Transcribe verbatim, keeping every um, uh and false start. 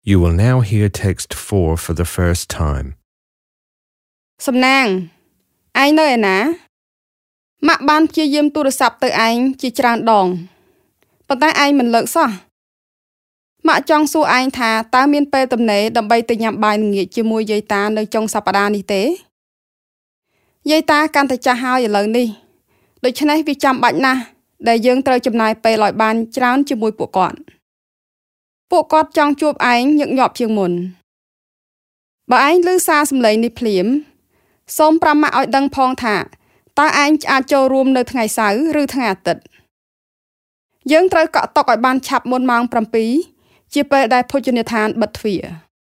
You will now hear text four for the first time. សំណាងឯងនៅឯណាម៉ាក់បានព្យាយាមទូរស័ព្ទទៅឯងជាច្រើនដងប៉ុន្តែឯងមិនលើកសោះម៉ាក់ចង់សួរឯងថាតើមានពេលទំនេរដើម្បីទៅញ៉ាំបាយល្ងាចជាមួយយាយតានៅចុងសប្តាហ៍នេះទេយាយតាកាន់តែចាស់ហើយឥឡូវនេះដូច្នេះវាចាំបាច់ណាស់ដែលយើងត្រូវចំណាយពេលឲ្យបានច្រើនជាមួយពួកគាត់ពួកគាត់ចង់ជួបឯងញឹកញាប់ជាងមុនបើឯងឮសារសំឡេងនេះភ្លាមសូមប្រាប់ម៉ាក់ឲ្យដឹងផងថាតើឯងអាចចូលរួមនៅថ្ងៃសៅរ៍ឬថ្ងៃអាទិត្យយើងត្រូវកក់តុឲ្យបានឆាប់មុនម៉ោងប្រាំពីរជាពេលដែលភោជនីយដ្ឋានបិទទ្វារ។